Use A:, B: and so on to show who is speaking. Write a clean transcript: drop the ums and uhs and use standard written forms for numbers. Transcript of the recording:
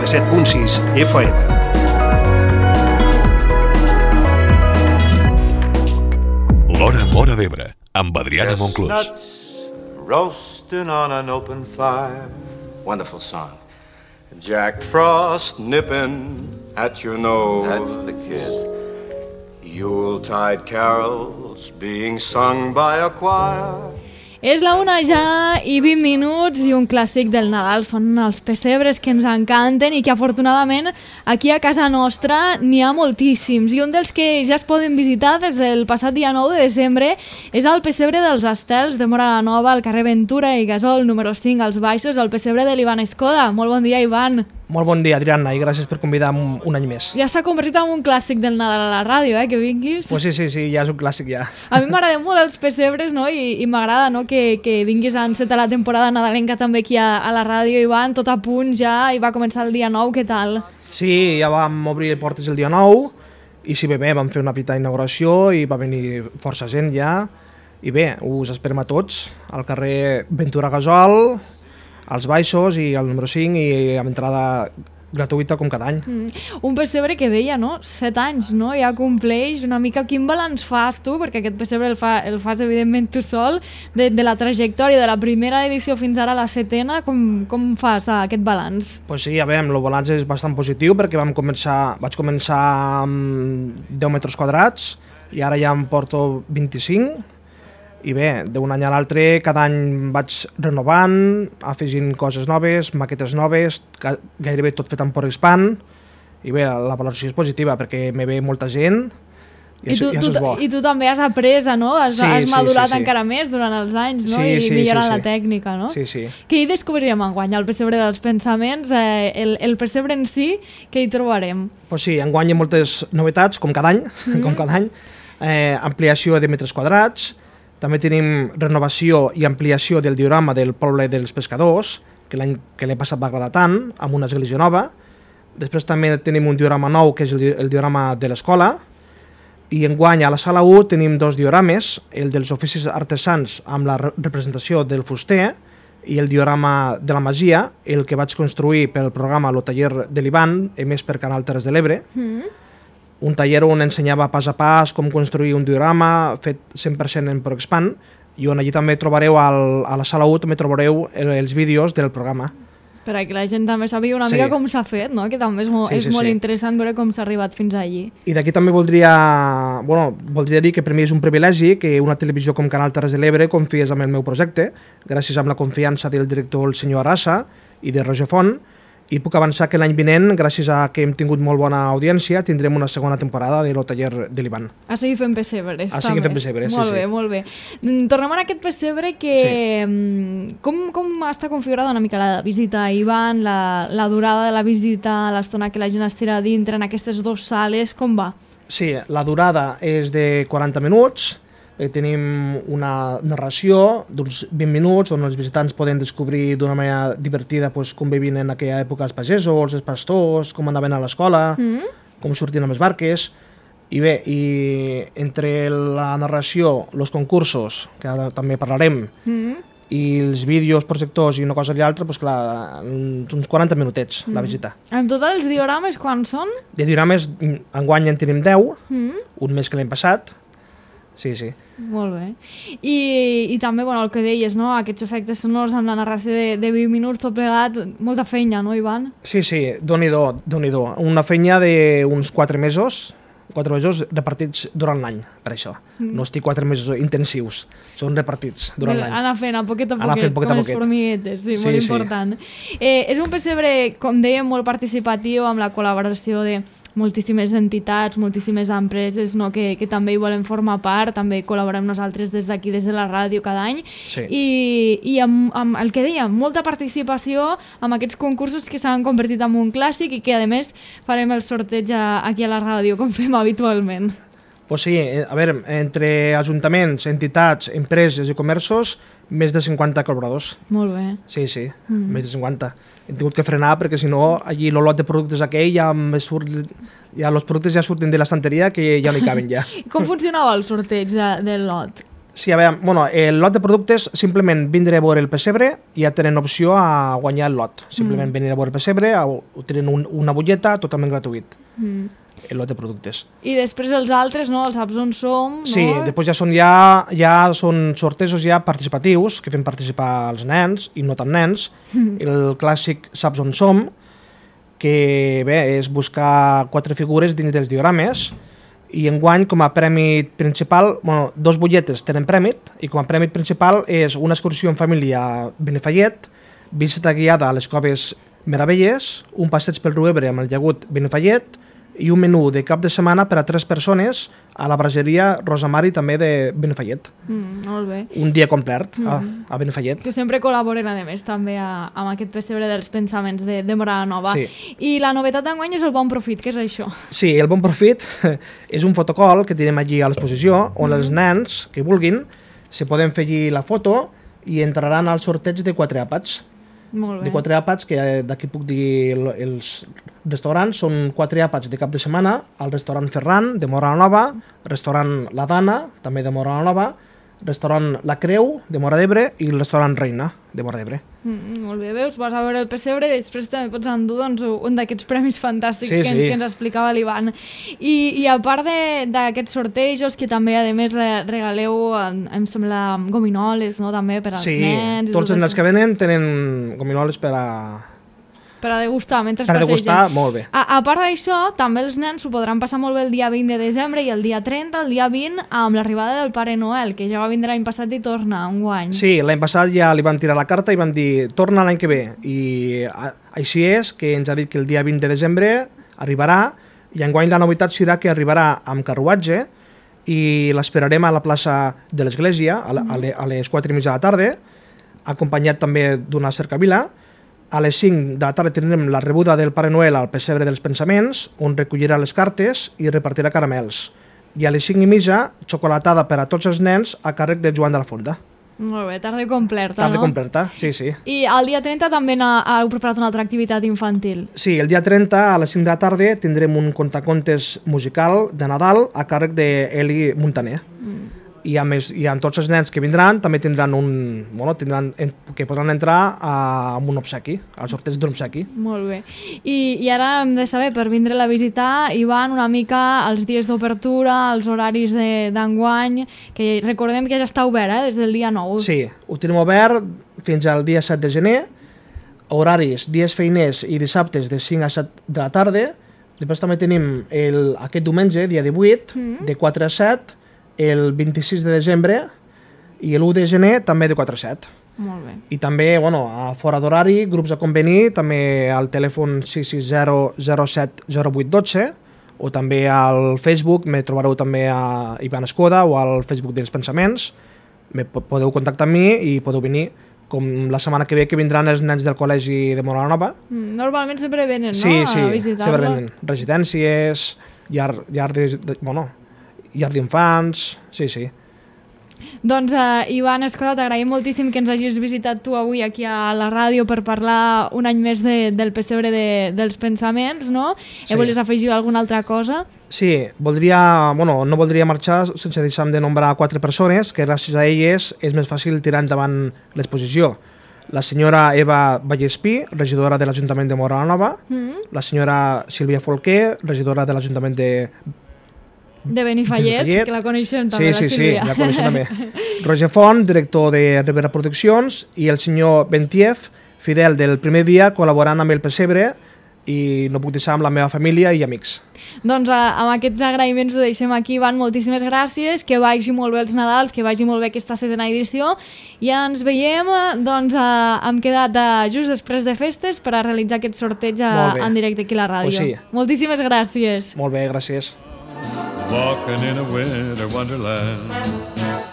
A: 97.6 FM.
B: L'Hora Móra d'Ebre, amb Adrià de Monclús.
C: Chestnuts roasting on an open fire. Wonderful song. Jack Frost nipping at your nose.
D: That's the kid.
C: Yuletide carols being sung by a choir.
E: És la 1 ja i 20 minuts i un clàssic del Nadal. Són els pessebres que ens encanten i que afortunadament aquí a casa nostra n'hi ha moltíssims. I un dels que ja es poden visitar des del passat dia 9 de desembre és el pessebre dels Estels de Móra la Nova, al carrer Ventura i Gasol, número 5, als Baixos, el pessebre de l'Ivan Escoda. Molt bon dia, Ivan.
F: Molt bon dia, Adriana, i gràcies per convidar-me un any més.
E: Ja s'ha convertit en un clàssic del Nadal a la ràdio, que vinguis.
F: Pues sí, ja és un clàssic ja.
E: A mi m'agraden molt els pessebres, no? I m'agrada, no? que vinguis a encetar la temporada nadalenca també aquí a la ràdio, Ivan, tot a punt ja, i va començar el dia 9, què tal?
F: Sí, ja vam obrir portes el dia 9, i sí, bé, vam fer una petita inauguració i va venir força gent ja, i bé, us esperem a tots, al carrer Ventura Gasol, als Baixos i al número 5 i amb entrada gratuïta com cada any.
E: Un pessebre que deia, no? 7 anys, no? Ja compleix una mica. Quin balanç fas tu? Perquè aquest pessebre el fas evidentment tu sol, de la trajectòria de la primera edició fins ara a la 7ena, com fas aquest balanç?
F: Pues sí, a veure, el balanç és bastant positiu perquè vaig començar amb 10 metres quadrats i ara ja em porto 25. I bé, d'un any a l'altre, cada any vaig renovant, afegint coses noves, maquetes noves, gairebé tot fet amb PowerXpan. I bé, la valoració és positiva perquè me ve molta gent i això és bo.
E: I tu també has après, no? Has madurat encara més durant els anys, no? I millorant la tècnica, no?
F: Sí.
E: Què hi descobrirem enguany? El pessebre dels pensaments, el pessebre en si, què hi trobarem?
F: Pues sí, enguany hi ha moltes novetats, com cada any, ampliació de metres quadrats. També tenim renovació i ampliació del diorama del poble dels pescadors, que l'any passat va agradar tant, amb una església nova. Després també tenim un diorama nou, que és el diorama de l'escola. I enguany a la sala 1 tenim 2 diorames, el dels oficis artesans amb la representació del fuster i el diorama de la masia, el que vaig construir pel programa Lo Taller de l'Ivan, emès per Canal Terres de l'Ebre. Un taller on ensenyava pas a pas com construir un diorama fet 100% en PowerXpan i on allí també trobareu, a la sala 1 també trobareu els vídeos del programa.
E: Per a que la gent també sàpiga una mica com s'ha fet, no? Que també és molt interessant veure com s'ha arribat fins allí.
F: I d'aquí també voldria dir que per mi és un privilegi que una televisió com Canal Terres de l'Ebre confiés en el meu projecte, gràcies a la confiança del director el senyor Arassa i de Roger Font. I puc avançar que l'any vinent, gràcies a que hem tingut molt bona audiència, tindrem una segona temporada de Lo Taller de l'Ivan.
E: A seguir fent pessebres.
F: A seguir fent pessebres, sí.
E: Molt bé. Tornem a aquest pessebre que... Sí. Com està configurada una mica la visita a Ivan, la durada de la visita, l'estona que la gent estirà dintre en aquestes 2 sales, com va?
F: Sí, la durada és de 40 minuts, tenim una narració d'uns 20 minuts on els visitants poden descobrir d'una manera divertida com vivien en aquella època els pagesos, els pastors, com anaven a l'escola, com sortien amb les barques. I bé, entre la narració, els concursos, que ara també parlarem, i els vídeos, projectors i una cosa i l'altra, doncs clar, uns 40 minutets la visita.
E: En total els diorames quants són?
F: De diorames enguany en tenim 10, un més que l'any passat. Sí.
E: Molt bé. I també, el que deies, no? Aquests efectes sonors amb la narració de 20 minuts tot plegat, molta feina, no, Ivan?
F: Sí, Déu-n'hi-do. Una feina d'uns 4 mesos repartits durant l'any, per això. No estic 4 mesos intensius, són repartits durant l'any.
E: Anar fent a poquet a poquet, com les formiguetes, sí, molt important. És un pessebre, com dèiem, molt participatiu, amb la col·laboració de moltíssimes entitats, moltíssimes empreses, no, que també hi volem formar part, també col·laborem nosaltres des d'aquí, des de la ràdio cada any, i amb el que dèiem, molta participació amb aquests concursos que s'han convertit en un clàssic i que a més farem el sorteig aquí a la ràdio, com fem habitualment.
F: Pues sí, a veure, entre ajuntaments, entitats, empreses i comerços, més de 50 col·laboradors.
E: Molt bé.
F: Sí, més de 50. Hem tingut que frenar perquè si no, allí el lot de productes aquell ja els productes ja surten de l'estanteria que ja no hi caben ja.
E: Com funcionava el sorteig del lot?
F: Sí, a veure, bueno, el lot de productes, simplement vindre a veure el pessebre i ja tenen opció a guanyar el lot. Simplement venir a veure el pessebre, tenen una butlleta totalment gratuït, el lot de productes.
E: I després els altres, no? Els saps on som, no?
F: Sí, després ja són sortejos ja participatius, que fem participar els nens i no tan nens. El clàssic Saps on som, que bé, és buscar 4 figures dins dels diorames, i enguany com a premi principal, bueno, 2 butlletes tenen premi, i com a premi principal és una excursió en família a Benifallet, visita guiada a les Coves Meravelles, un passeig pel riu Ebre amb el llagut Benifallet i un menú de cap de setmana per a 3 persones a la braseria Rosamari també de Benifallet.
E: Molt bé.
F: Un dia complet a Benifallet.
E: Que sempre col·laboren, a més, també amb aquest pessebre dels pensaments de Morada Nova.
F: Sí.
E: I la novetat d'enguany és el Bon Profit, què és això?
F: Sí, el Bon Profit és un fotocol que tenim allí a l'exposició on els nens que vulguin se poden fer allí la foto i entraran al sorteig de 4 àpats.
E: Molt bé.
F: De 4 àpats, que d'aquí puc dir els restaurants, són 4 àpats de cap de setmana, al restaurant Ferran, de Morada Nova, restaurant La Dana, també de Morada Nova, restaurant La Creu, de Móra d'Ebre, i el restaurant Reina, de Móra d'Ebre.
E: Molt bé, veus? Vas a veure el pessebre i després també pots endur un d'aquests premis fantàstics que ens explicava l'Ivan. I a part d'aquests sortejos, que també, a més, regaleu, em sembla, gominoles, no?, també per als nens.
F: Sí, tots els nens que venen tenen gominoles per a
E: degustar mentre
F: passegen. Per degustar, molt bé.
E: A part d'això, també els nens s'ho podran passar molt bé el dia 20 de desembre i el dia 30, el dia 20, amb l'arribada del Pare Noel, que ja va vindre l'any passat i torna enguany.
F: Sí, l'any passat ja li vam tirar la carta i vam dir torna l'any que ve. I així és, que ens ha dit que el dia 20 de desembre arribarà, i enguany la novetat serà que arribarà amb carruatge i l'esperarem a la plaça de l'Església a les 4:30 de la tarda, acompanyat també d'una cercavila. A les 5 de la tarda tindrem la rebuda del Pare Noel al pessebre dels pensaments, on recollirà les cartes i repartirà caramels. I a les 5:30, xocolatada per a tots els nens a càrrec de Joan de la Fonda.
E: Molt bé, tarda completa,
F: Tarda completa, sí, sí.
E: I el dia 30 també heu preparat una altra activitat infantil.
F: Sí, el dia 30 a les 5 de la tarda tindrem un contacontes musical de Nadal a càrrec d'Eli Montaner. I amb tots els nens que vindran també tindran que podran entrar amb un obsequi, al sorteig d'un obsequi.
E: Molt bé. I ara hem de saber, per vindre-la a visitar, Ivan, una mica els dies d'obertura, els horaris d'enguany, que recordem que ja està obert, des del dia 9.
F: Sí, ho tenim obert fins al dia 7 de gener, horaris, dies feiners i dissabtes de 5 a 7 de la tarda. Després també tenim aquest diumenge, dia 18, de 4 a 7, el 26 de desembre i l'1 de gener també de 4 a 7.
E: Molt bé.
F: I també, a fora d'horari, grups a convenir, també al telèfon 660 07 08 12 o també al Facebook, me trobareu també a Ivan Escoda o al Facebook dels Pensaments. Podeu contactar amb mi i podeu venir, com la setmana que ve que vindran els nens del col·legi de Morada Nova.
E: Normalment sempre venen, no?
F: Sí, sempre venen. Residències, llar d'infants, sí.
E: Doncs, Ivan Escoda, t'agraïm moltíssim que ens hagis visitat tu avui aquí a la ràdio per parlar un any més del pessebre dels pensaments, no? Sí. Volies afegir alguna altra cosa?
F: Sí, no voldria marxar sense deixar de nombrar 4 persones que gràcies a elles és més fàcil tirar endavant l'exposició. La senyora Eva Vallespí, regidora de l'Ajuntament de Morada Nova, la senyora Sílvia Folquer, regidora de l'Ajuntament de
E: Benifallet, que la coneixem també, la Sílvia.
F: Sí, la coneixem també. Roger Font, director de Rivera Produccions, i el senyor Bentiev, fidel del primer dia, col·laborant amb el pessebre, i no puc deixar amb la meva família i amics.
E: Doncs amb aquests agraïments ho deixem aquí, Ivan, moltíssimes gràcies, que vagi molt bé els Nadals, que vagi molt bé aquesta 7ª edició, i ens veiem, doncs hem quedat just després de festes per a realitzar aquest sorteig en directe aquí a la ràdio.
F: Pues sí.
E: Moltíssimes gràcies.
F: Molt bé, gràcies.
B: Walking in a winter wonderland.